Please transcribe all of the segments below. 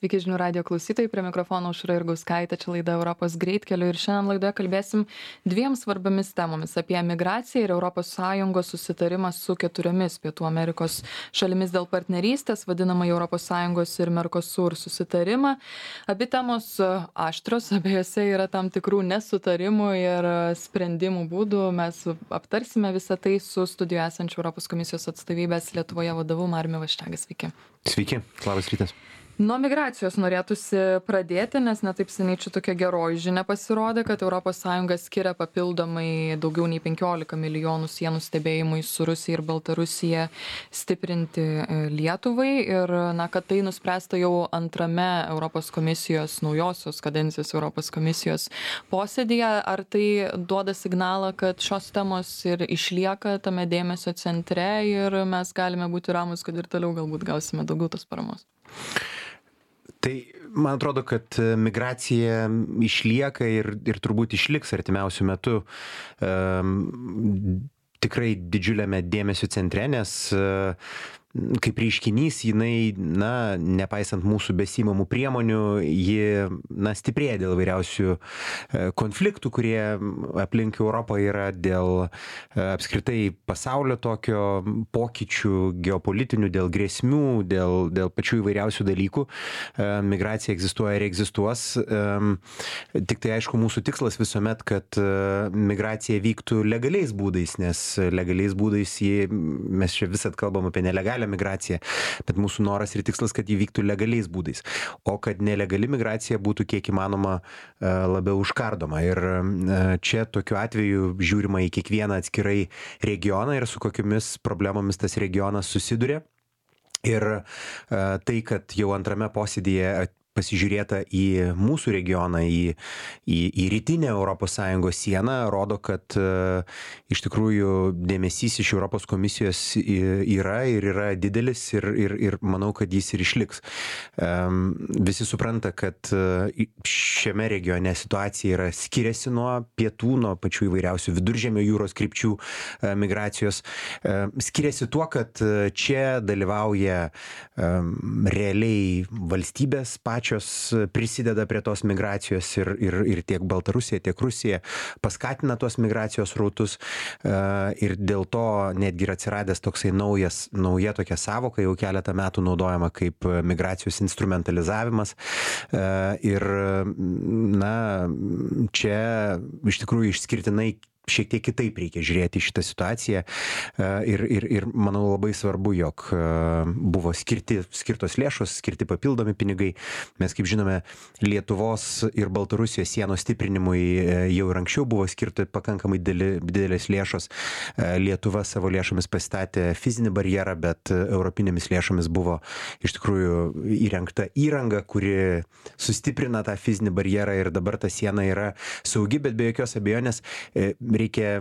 Sveiki žinių radio klausytojai, prie mikrofono Aušra Jurgauskaitė, čia laida Europos greitkeliu ir šiandien laidoje kalbėsim dviem svarbiamis temomis apie migraciją ir ES susitarimą su 4 Pietų Amerikos šalimis dėl partnerystės, vadinamą ES ir Mercosur susitarimą. Abi temos aštros, abiejose yra tam tikrų nesutarimų ir sprendimų būdų. Mes aptarsime visą tai su studijoje esančiu Europos komisijos atstovybės Lietuvoje vadovu Mariumi Vaščega. Sveiki. Sveiki, labas rytas. Nuo migracijos norėtųsi pradėti, nes netaip seniai čia tokia geroji žinia pasirodė, kad ES skiria papildomai daugiau nei 15 milijonų sienų stebėjimui su Rusija ir Baltarusija stiprinti Lietuvai ir kad tai nuspręsta jau antrame Europos komisijos, naujosios kadencijos Europos komisijos posėdyje. Ar tai duoda signalą, kad šios temos ir išlieka tame dėmesio centre ir mes galime būti ramus, kad ir toliau galbūt gausime daugiau tos paramos? Tai man atrodo, kad migracija išlieka ir turbūt išliks artimiausių metų tikrai didžiuliame dėmesio centre, nes kaip reiškinys jinai, nepaisant mūsų besimamų priemonių, ji, stiprėja dėl vairiausių konfliktų, kurie aplink Europą yra, dėl apskritai pasaulio tokio pokyčių geopolitinių, dėl grėsmių, dėl pačių įvairiausių dalykų. Migracija egzistuoja ir egzistuos. Tik tai aišku, mūsų tikslas visuomet, kad migracija vyktų legaliais būdais, nes legaliais būdais mes čia visat kalbam apie nelegalią migracija, bet mūsų noras ir tikslas, kad jį vyktų legaliais būdais, o kad nelegali migracija būtų kiek įmanoma labiau užkardoma. Ir čia tokiu atveju žiūrima į kiekvieną atskirai regioną ir su kokiamis problemomis tas regionas susiduria. Ir tai, kad jau antrame posėdyje pasižiūrėta į mūsų regioną, į rytinę ES sieną, rodo, kad iš tikrųjų dėmesys iš Europos komisijos yra didelis ir manau, kad jis ir išliks. Visi supranta, kad šiame regione situacija skiriasi nuo pietų, nuo pačių įvairiausių viduržemio jūros krypčių migracijos. Skiriasi tuo, kad čia dalyvauja realiai valstybės pačios prisideda prie tos migracijos ir tiek Baltarusija, tiek Rusija paskatina tos migracijos rautus ir dėl to netgi yra atsiradęs toksai nauja tokia savoka, jau keletą metų naudojama kaip migracijos instrumentalizavimas ir čia iš tikrųjų išskirtinai šiek tiek kitaip reikia žiūrėti šitą situaciją ir manau labai svarbu, jog buvo skirtos lėšos, skirti papildomi pinigai. Mes, kaip žinome, Lietuvos ir Baltarusijos sienos stiprinimui jau ir anksčiau buvo skirti pakankamai didelės lėšos. Lietuva savo lėšomis pastatė fizinį barjerą, bet europinėmis lėšomis buvo iš tikrųjų įrengta įranga, kuri sustiprina tą fizinį barjerą ir dabar ta siena yra saugi, bet be jokios abejonės reikia,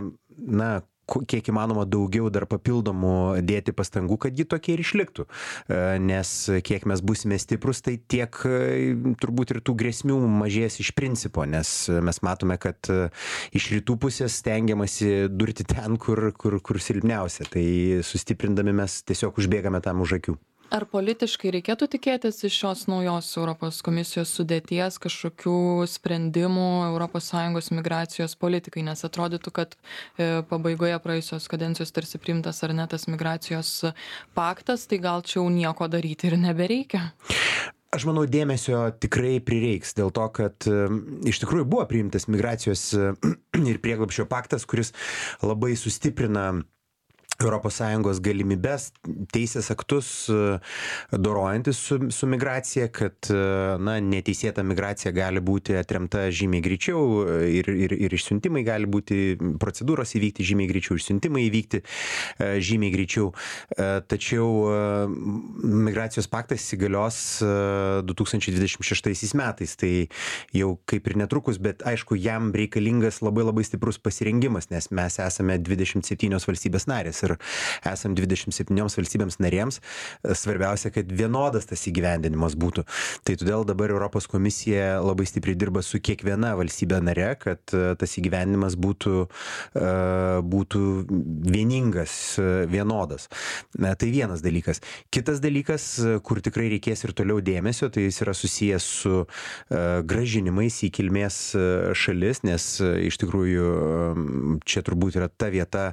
kiek įmanoma daugiau dar papildomų dėti pastangų, kad ji tokia ir išliktų. Nes kiek mes būsime stiprus, tai tiek turbūt ir tų grėsmių mažės iš principo, nes mes matome, kad iš rytų pusės stengiamasi durti ten, kur silpniausia. Tai sustiprindami mes tiesiog užbėgame tam už akių. Ar politiškai reikėtų tikėtis iš šios naujos Europos komisijos sudėties kažkokių sprendimų ES migracijos politikai, nes atrodytų, kad pabaigoje praėjusios kadencijos tarsi priimtas ar ne tas migracijos paktas, tai gal čia jau nieko daryti ir nebereikia? Aš manau, dėmesio tikrai prireiks dėl to, kad iš tikrųjų buvo priimtas migracijos ir prieglobsčio paktas, kuris labai sustiprina ES galimybės, teisės aktus dorojantis su migracija, kad neteisėta migracija gali būti atremta žymiai greičiau ir išsiuntimai gali būti, procedūros įvykti žymiai greičiau, išsiuntimai įvykti žymiai greičiau. Tačiau migracijos paktas įsigalios 2026 metais, tai jau kaip ir netrukus, bet aišku, jam reikalingas labai stiprus pasirengimas, nes mes esame 27 valstybės narės ir esam 27 valstybėms narėms, svarbiausia, kad vienodas tas įgyvendinimas būtų. Tai todėl dabar Europos komisija labai stipriai dirba su kiekviena valstybė nare, kad tas įgyvendinimas būtų vieningas, vienodas. Tai vienas dalykas. Kitas dalykas, kur tikrai reikės ir toliau dėmesio, tai jis yra susijęs su grąžinimais į kilmės šalis, nes iš tikrųjų čia turbūt yra ta vieta,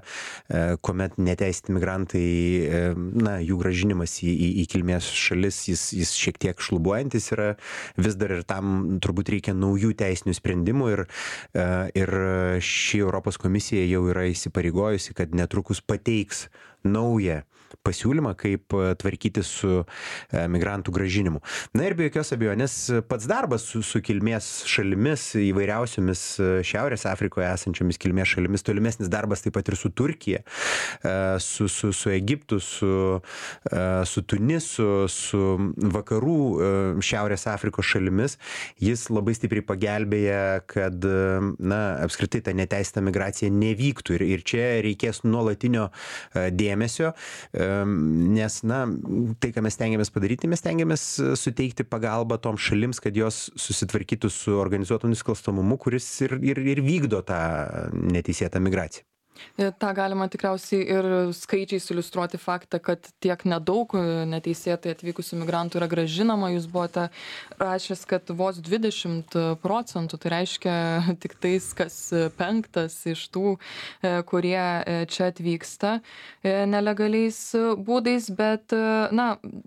kuomet neteisėti migrantai, jų grąžinimas į kilmės šalis, jis šiek tiek šlubuojantis yra vis dar ir tam turbūt reikia naujų teisinių sprendimų ir ši Europos komisija jau yra įsipareigojusi, kad netrukus pateiks naują pasiūlymą, kaip tvarkyti su migrantų grąžinimu. Na ir be jokios abejonės pats darbas su kilmės šalimis, įvairiausiomis Šiaurės Afrikoje esančiomis kilmės šalimis, tolimesnis darbas taip pat ir su Turkija, su Egiptu, su Tunisu, su vakarų Šiaurės Afrikos šalimis, jis labai stipriai pagelbėja, kad apskritai ta neteisėta migracija nevyktų ir čia reikės nuolatinio dėmesio, nes, tai, ką mes stengiamės padaryti, mes stengiamės suteikti pagalbą toms šalims, kad jos susitvarkytų su organizuotu nusikalstamumu, kuris ir vykdo tą neteisėtą migraciją. Ta galima tikriausiai ir skaičiais iliustruoti faktą, kad tiek nedaug neteisėtai atvykusių migrantų yra grąžinama. Jūs buvote rašęs, kad vos 20%, tai reiškia tik tais kas 5 iš tų, kurie čia atvyksta nelegaliais būdais, bet,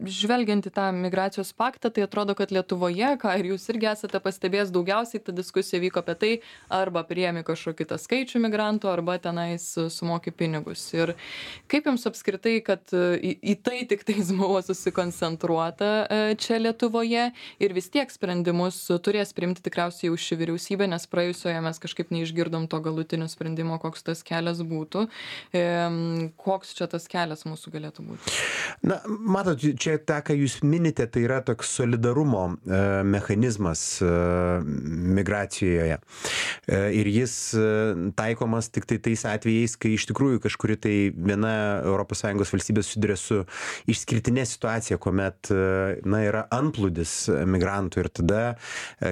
žvelgiant į tą migracijos paktą, tai atrodo, kad Lietuvoje, ką ir jūs irgi esate pastebėjęs, daugiausiai ta diskusija vyko apie tai, arba priėmė kažkokį tą skaičių migrantų, arba tenais sumoki pinigus. Ir kaip jums apskritai, kad į tai tik tais buvo susikoncentruota čia Lietuvoje ir vis tiek sprendimus turės priimti tikriausiai jau ši vyriausybė, nes praėjusioje mes kažkaip neišgirdom to galutinio sprendimo, koks tas kelias būtų. Koks čia tas kelias mūsų galėtų būti? Matot, čia tą, ką jūs minite, tai yra toks solidarumo mechanizmas migracijoje. Ir jis taikomas tik tai tais atvejais, kai iš tikrųjų kažkuri tai viena ES valstybė susiduria su išskirtinė situacija, kuomet yra antplūdis migrantų ir tada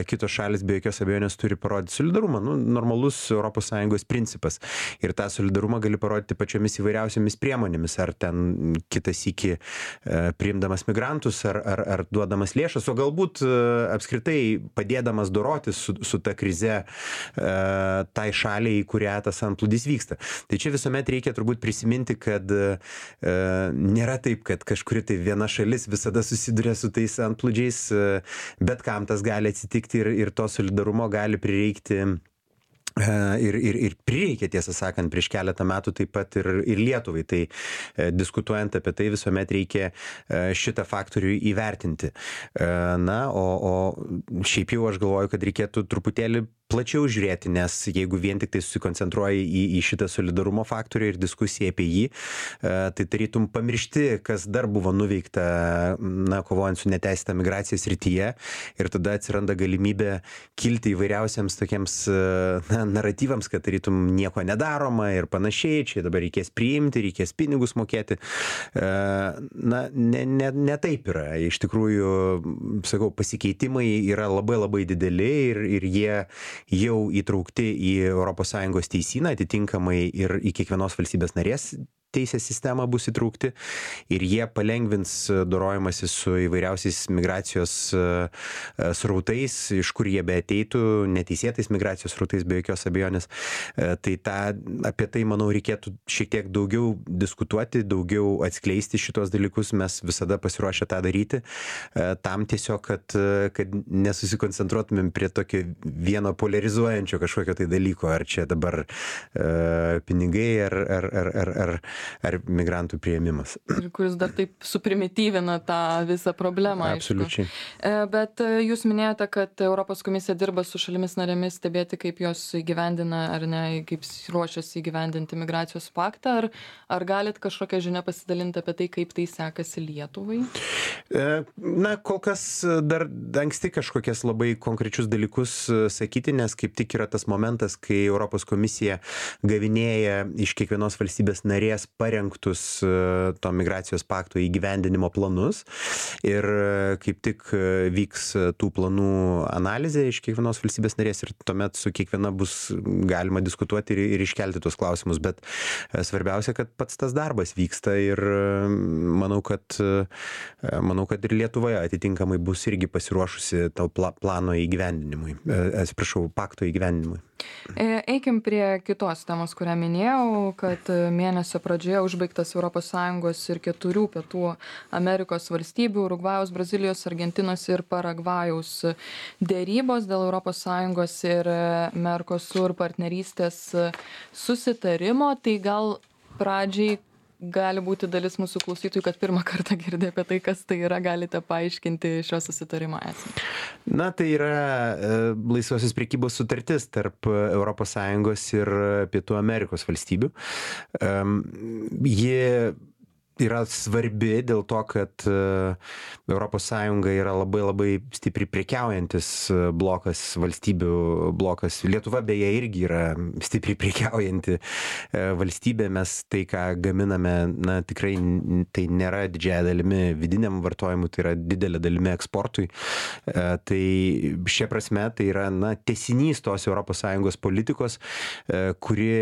kitos šalis be jokios abejonės turi parodyti solidarumą. Normalus ES principas. Ir tą solidarumą gali parodyti pačiomis įvairiausiamis priemonėmis, ar ten kitas iki priimdamas migrantus, ar duodamas lėšas, o galbūt apskritai padėdamas dorotis su ta krize tai šaliai, į kurią tas antplūdis vyksta. Tai čia visuomet reikia turbūt prisiminti, kad nėra taip, kad kažkuri tai viena šalis visada susiduria su tais antplūdžiais, bet kam tas gali atsitikti ir to solidarumo gali prireikti. Ir prireikė, tiesą sakant, prieš keletą metų taip pat ir Lietuvai. Tai diskutuojant apie tai visuomet reikia šitą faktorių įvertinti. O šiaip jau aš galvoju, kad reikėtų truputėlį plačiau žiūrėti, nes jeigu vien tik tai susikoncentruoji į šitą solidarumo faktorių ir diskusiją apie jį, tai tarytum pamiršti, kas dar buvo nuveikta, kovojant su neteisėta migracija srityje, ir tada atsiranda galimybė kilti įvairiausiams tokiems naratyvams, kad tarytum nieko nedaroma ir panašiai, čia dabar reikės priimti, reikės pinigus mokėti. Ne taip yra. Iš tikrųjų, sakau, pasikeitimai yra labai labai dideli ir jie jau įtraukti į ES teisyną, atitinkamai ir į kiekvienos valstybės narės teisės sistemą bus įtraukti ir jie palengvins dorojimąsi su įvairiausiais migracijos srautais, iš kur jie beateitų, neteisėtais migracijos srautais be jokios abejonės. Tai apie tai, manau, reikėtų šiek tiek daugiau diskutuoti, daugiau atskleisti šitos dalykus, mes visada pasiruošę tą daryti, tam tiesiog, kad nesusikoncentruotumėm prie tokio vieno polarizuojančio kažkokio tai dalyko, ar čia dabar pinigai, ar migrantų priėmimas. Ir kuris dar taip suprimityvina tą visą problemą. Absoliučiai. Bet jūs minėjote, kad Europos komisija dirba su šalimis narėmis stebėti, kaip jos įgyvendina ar ne, kaip ruošiasi įgyvendinti migracijos paktą. Ar galit kažkokią žinią pasidalinti apie tai, kaip tai sekasi Lietuvai? Kol kas dar anksti kažkokias labai konkrečius dalykus sakyti, nes kaip tik yra tas momentas, kai Europos komisija gavinėja iš kiekvienos valstybės narės parengtus to migracijos pakto įgyvendinimo planus ir kaip tik vyks tų planų analizė iš kiekvienos valstybės narės ir tuomet su kiekviena bus galima diskutuoti ir iškelti tuos klausimus, bet svarbiausia, kad pats tas darbas vyksta ir manau, kad ir Lietuvoje atitinkamai bus irgi pasiruošusi to plano įgyvendinimui, pakto įgyvendinimui. Eikim prie kitos temos, kurią minėjau, kad mėnesio pradžioje užbaigtas ES ir 4 Pietų Amerikos valstybių - Urugvajaus, Brazilijos, Argentinos ir Paragvajaus dėrybos dėl ES ir Mercosur partnerystės susitarimo. Tai gal pradžiai gali būti dalis mūsų klausytojų, kad pirmą kartą girdė apie tai, kas tai yra, galite paaiškinti šio susitarimo esmę. Na, tai yra laisvosios prekybos sutartis tarp ES ir Pietų Amerikos valstybių. Ji yra svarbi dėl to, kad ES yra labai stipriai prekiaujantis blokas, valstybių blokas. Lietuva beje irgi yra stipriai prekiaujanti valstybė. Mes tai, ką gaminame, na, tikrai tai nėra didžiąja dalimi vidiniam vartojimui, tai yra didelė dalimi eksportui. Tai šia prasme tai yra, na, tęsinys tos ES politikos, kuri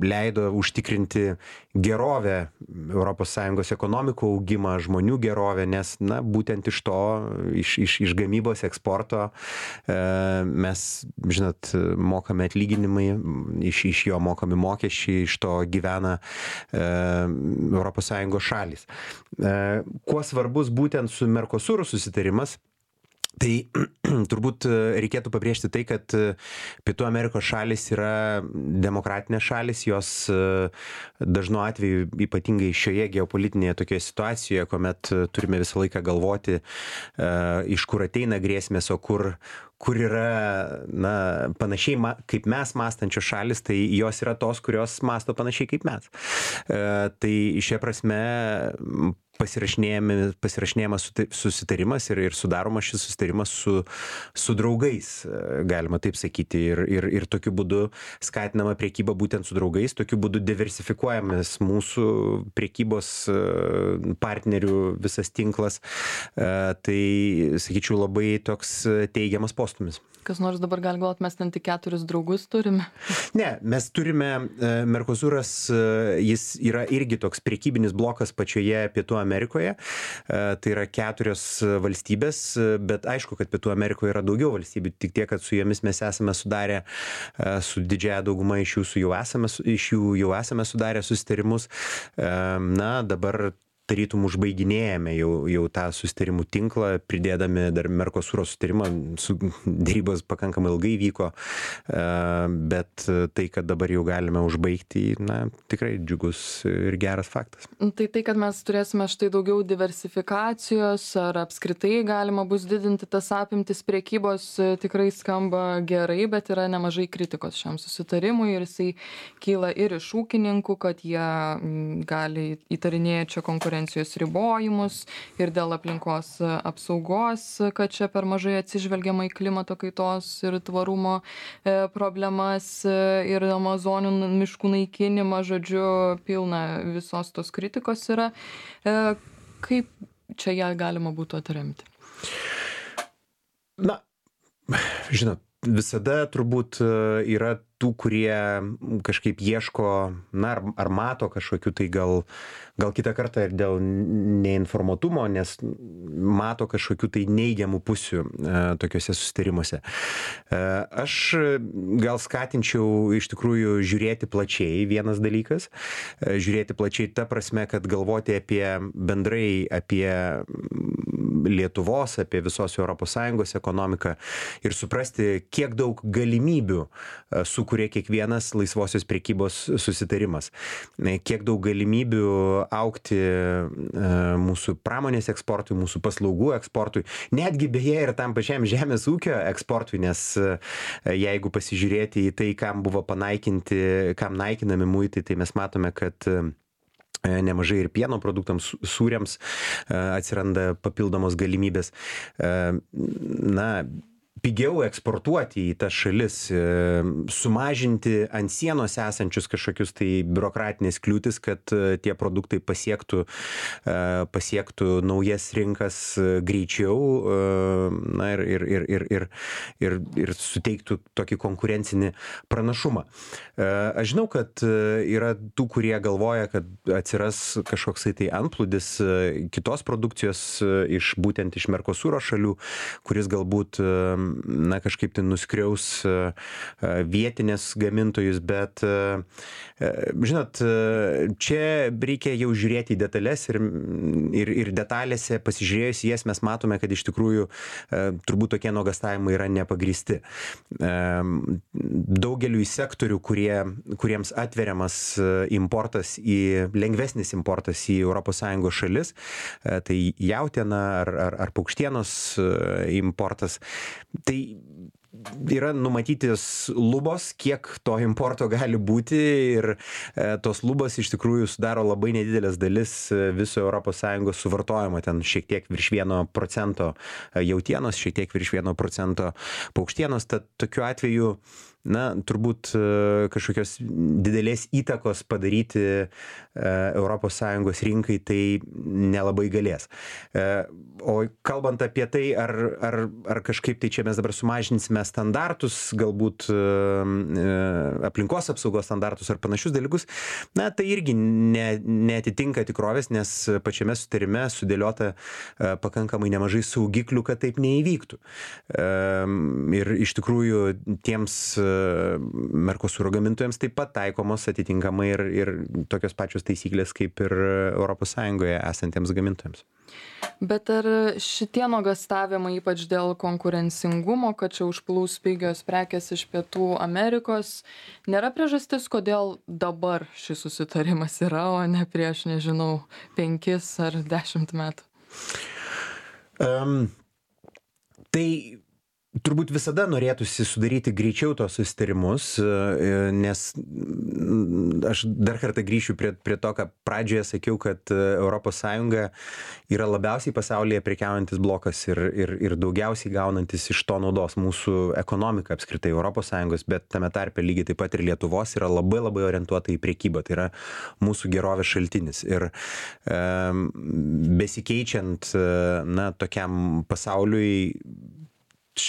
leido užtikrinti gerovę ES ekonomikų augimą, žmonių gerovę, nes, na, būtent iš to, iš gamybos eksporto mes, žinot, mokame atlyginimai, iš jo mokami mokesčiai, iš to gyvena ES šalys. Kuo svarbus būtent su Mercosur susitarimas? Tai turbūt reikėtų pabrėžti tai, kad Pietų Amerikos šalis yra demokratinės šalis, jos dažnu atveju, ypatingai šioje geopolitinėje tokioje situacijoje, kuomet turime visą laiką galvoti, iš kur ateina grėsmės, o kur yra, na, panašiai kaip mes mąstančios šalis, tai jos yra tos, kurios mąsto panašiai kaip mes. Tai šia prasme pasirašinėjamas susitarimas ir sudaromas šis susitarimas su draugais, galima taip sakyti, ir tokiu būdu skatinama prekyba būtent su draugais, tokiu būdu diversifikuojamas mūsų prekybos partnerių visas tinklas. Tai, sakyčiau, labai toks teigiamas postumis. Kas nors dabar gali galvoti, mes ten tik 4 draugus turime? Ne, mes turime, Mercosuras, jis yra irgi toks prekybinis blokas pačioje Pietų Amerikoje. Tai yra 4 valstybės, bet aišku, kad Pietų Amerikoje yra daugiau valstybių, tik tiek, kad su jomis mes esame sudarę, su didžiąja dauguma iš jų jau esame sudarę susitarimus. Na, dabar tarytum užbaiginėjame jau tą susitarimų tinklą, pridėdami dar Mercosuro susitarimą, dėrybos pakankamai ilgai vyko, bet tai, kad dabar jau galime užbaigti, na, tikrai džiugus ir geras faktas. Tai, kad mes turėsime štai daugiau diversifikacijos, ar apskritai galima bus didinti tas apimtis prekybos, tikrai skamba gerai, bet yra nemažai kritikos šiam susitarimui ir jisai kyla ir iš ūkininkų, kad jie gali įtarinėti čia konkurenciją ribojimus ir dėl aplinkos apsaugos, kad čia per mažai atsižvelgiama į klimato kaitos ir tvarumo problemas ir amazonių miškų naikinimą, žodžiu, pilna visos tos kritikos yra. Kaip čia ją galima būtų atremti? Na, žinot, visada turbūt yra tų, kurie kažkaip ieško, na, ar mato kažkokių tai gal kitą kartą ir dėl neinformuotumo, nes mato kažkokių tai neigiamų pusių tokiuose susitarimuose. Aš gal skatinčiau iš tikrųjų žiūrėti plačiai, vienas dalykas, žiūrėti plačiai ta prasme, kad galvoti bendrai apie Lietuvos, apie visos ES ekonomiką ir suprasti, kiek daug galimybių sukuria kiekvienas laisvosios prekybos susitarimas. Kiek daug galimybių augti mūsų pramonės eksportui, mūsų paslaugų eksportui, netgi beje ir tam pačiam žemės ūkio eksportui, nes jeigu pasižiūrėti į tai, kam buvo kam naikinami muitai, tai mes matome, kad nemažai ir pieno produktams, sūriams atsiranda papildomos galimybės. Na, pigiau eksportuoti į tas šalis, sumažinti ant sienos esančius kažkokius tai biurokratinės kliūtis, kad tie produktai pasiektų naujas rinkas greičiau, na ir suteiktų tokį konkurencinį pranašumą. Aš žinau, kad yra tų, kurie galvoja, kad atsiras kažkoksai tai antplūdis kitos produkcijos būtent iš Mercosuro šalių, kuris galbūt kažkaip tai nuskriaus vietinės gamintojus, bet žinot, čia reikia jau žiūrėti į detalės ir detalėse pasižiūrėjus jas mes matome, kad iš tikrųjų turbūt tokie nuogąstavimai yra nepagristi. Daugeliu sektorių, kuriems atveriamas importas lengvesnis importas į ES šalis, tai jautiena ar paukštienos importas, tai yra numatytis lubos, kiek to importo gali būti ir tos lubos iš tikrųjų sudaro labai nedidelės dalis viso ES suvartojimo, ten šiek tiek virš 1% jautienos, šiek tiek virš 1% paukštienos, tad tokiu atveju turbūt kažkokios didelės įtakos padaryti ES rinkai tai nelabai galės. O kalbant apie tai, ar kažkaip tai čia mes dabar sumažinsime standartus, galbūt aplinkos apsaugos standartus ar panašius dalykus, tai irgi neatitinka tikrovės, nes pačiame sutarime sudėliota pakankamai nemažai saugiklių, kad taip neįvyktų. Ir iš tikrųjų tiems Mercosuro gamintojams taip pat taikomos atitinkamai ir tokios pačios taisyklės kaip ir ES esantiems gamintojams. Bet ar šitie nuogąstavimai, ypač dėl konkurencingumo, kad čia užplūs pigios prekės iš Pietų Amerikos, nėra priežastis, kodėl dabar šis susitarimas yra, o ne prieš, 5 ar 10 metų? Tai turbūt visada norėtųsi sudaryti greičiau tos susitarimus, nes aš dar kartą grįšiu prie to, ką pradžioje sakiau, kad ES yra labiausiai pasaulyje prekiaujantis blokas ir daugiausiai gaunantis iš to naudos. Mūsų ekonomika apskritai ES, bet tame tarpe lygiai taip pat ir Lietuvos yra labai labai orientuota į prekybą. Tai yra mūsų gerovės šaltinis. Ir besikeičiant tokiam pasauliui,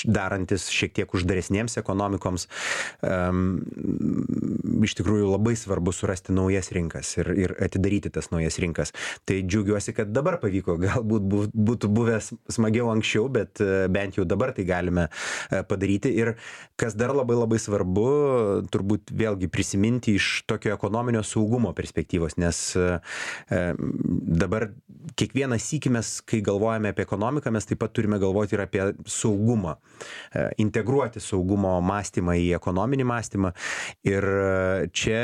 darantis šiek tiek uždaresniems ekonomikoms, iš tikrųjų labai svarbu surasti naujas rinkas ir atidaryti tas naujas rinkas. Tai džiaugiuosi, kad dabar pavyko, galbūt būtų buvęs smagiau anksčiau, bet bent jau dabar tai galime padaryti. Ir kas dar labai labai svarbu, turbūt vėlgi prisiminti iš tokio ekonominio saugumo perspektyvos, nes dabar kiekvieną sykį mes, kai galvojame apie ekonomiką, mes taip pat turime galvoti ir apie saugumą. Integruoti saugumo mąstymą į ekonominį mąstymą. Ir čia,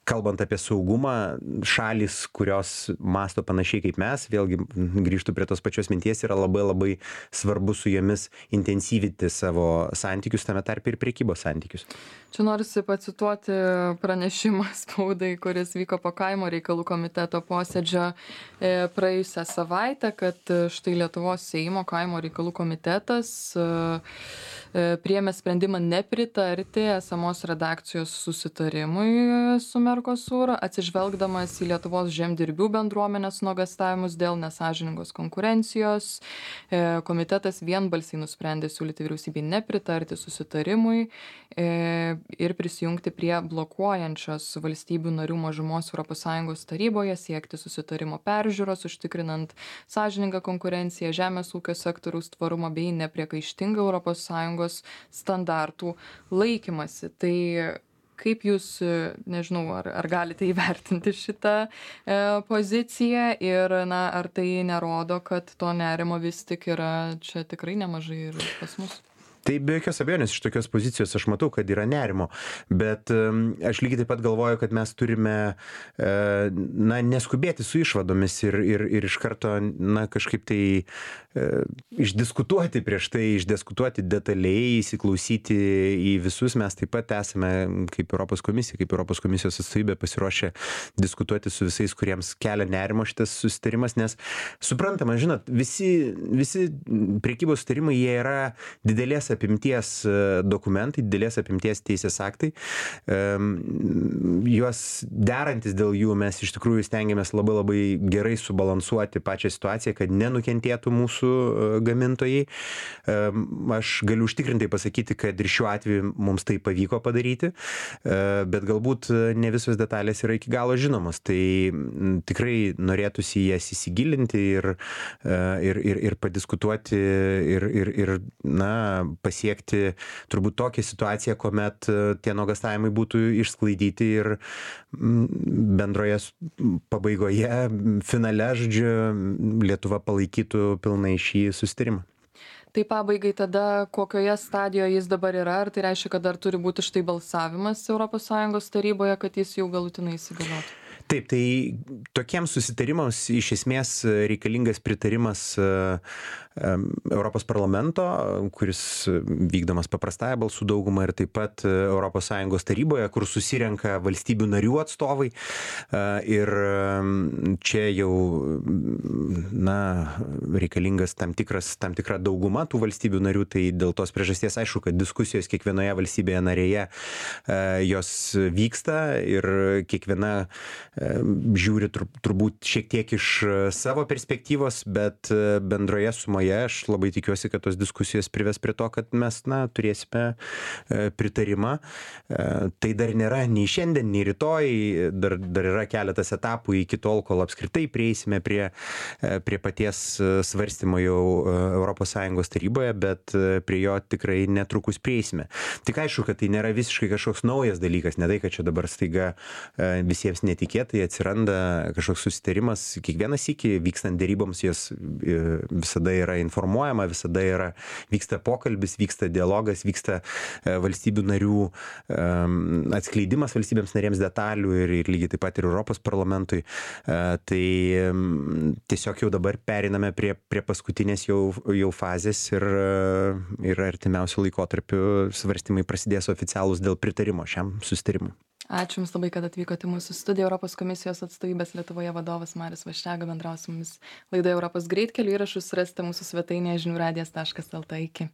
kalbant apie saugumą, šalis, kurios mąsto panašiai kaip mes, vėlgi grįžtu prie tos pačios minties, yra labai labai svarbu su jomis intensyvinti savo santykius, tame tarpe ir prekybos santykius. Čia norisi pacituoti pranešimą spaudai, kuris vyko po kaimo reikalų komiteto posėdžio praėjusią savaitę, kad štai Lietuvos Seimo kaimo reikalų komitetas priėmė sprendimą nepritarti esamos redakcijos susitarimui su Mercosur, atsižvelgdamas į Lietuvos žemdirbių bendruomenės nuogąstavimus dėl nesąžiningos konkurencijos. Komitetas vienbalsiai nusprendė siūlyti vyriausybei nepritarti susitarimui ir prisijungti prie blokuojančios valstybių narių mažumos ES taryboje, siekti susitarimo peržiūros, užtikrinant sąžiningą konkurenciją, žemės ūkio sektoriaus tvarumą bei nepriekaištingą ES standartų laikymasi. Tai kaip jūs, nežinau, ar galite įvertinti šitą poziciją ir ar tai nerodo, kad to nerimo vis tik yra čia tikrai nemažai ir pas mus? Tai be jokios abejonės iš tokios pozicijos aš matau, kad yra nerimo, bet aš lygiai taip pat galvoju, kad mes turime neskubėti su išvadomis ir iš karto kažkaip tai išdiskutuoti prieš tai, išdiskutuoti detaliai, įsiklausyti į visus. Mes taip pat esame kaip Europos komisija, kaip Europos komisijos atstovybė pasiruošę diskutuoti su visais, kuriems kelia nerimo šitas susitarimas, nes suprantama, žinot, visi prekybos susitarimai, jie yra didelės apimties dokumentai, didelės apimties teisės aktai. Juos derantis dėl jų mes iš tikrųjų stengiamės labai gerai subalansuoti pačią situaciją, kad nenukentėtų mūsų gamintojai. Aš galiu užtikrintai pasakyti, kad ir šiuo atveju mums tai pavyko padaryti, bet galbūt ne visos detalės yra iki galo žinomos. Tai tikrai norėtųsi jas įsigilinti ir padiskutuoti ir pasiekti turbūt tokią situaciją, kuomet tie nuogąstavimai būtų išsklaidyti ir bendroje pabaigoje, finale, žodžiu, Lietuva palaikytų pilnai šį susitarimą. Tai pabaigai tada, kokioje stadijoje jis dabar yra, ar tai reiškia, kad dar turi būti štai balsavimas ES taryboje, kad jis jau galutinai įsigaliotų? Taip, tai tokiems susitarimams iš esmės reikalingas pritarimas Europos parlamento, kuris vykdomas paprastąją balsų daugumą, ir taip pat ES taryboje, kur susirenka valstybių narių atstovai. Ir čia jau reikalingas tam tikra dauguma tų valstybių narių, tai dėl tos priežasties aišku, kad diskusijos kiekvienoje valstybėje narėje jos vyksta ir kiekviena žiūri turbūt šiek tiek iš savo perspektyvos, bet bendroje sumoje aš labai tikiuosi, kad tos diskusijos prives prie to, kad mes turėsime pritarimą. Tai dar nėra nei šiandien, nei rytoj, dar yra keletas etapų iki tol, kol apskritai prieisime prie paties svarstymo jau ES taryboje, bet prie jo tikrai netrukus prieisime. Tik aišku, kad tai nėra visiškai kažkoks naujas dalykas, ne tai, kad čia dabar staiga visiems netikėtai atsiranda kažkoks susitarimas. Kiekvieną sykį vykstant deryboms jos visada yra informuojama, visada vyksta pokalbis, vyksta dialogas, vyksta valstybių narių atskleidimas valstybėms narėms detalių ir lygiai taip pat ir Europos parlamentui. Tai tiesiog jau dabar periname prie paskutinės jau fazės ir artimiausiu laikotarpiu svarstymai prasidės oficialūs dėl pritarimo šiam susitarimui. Ačiū Jums labai, kad atvykote į mūsų studiją. Europos komisijos atstovybės Lietuvoje vadovas Marius Vaščega bendravo su mumis laidoje Europos greitkeliu. Įrašus rasite mūsų svetainėje žiniųradijas.lt. Iki.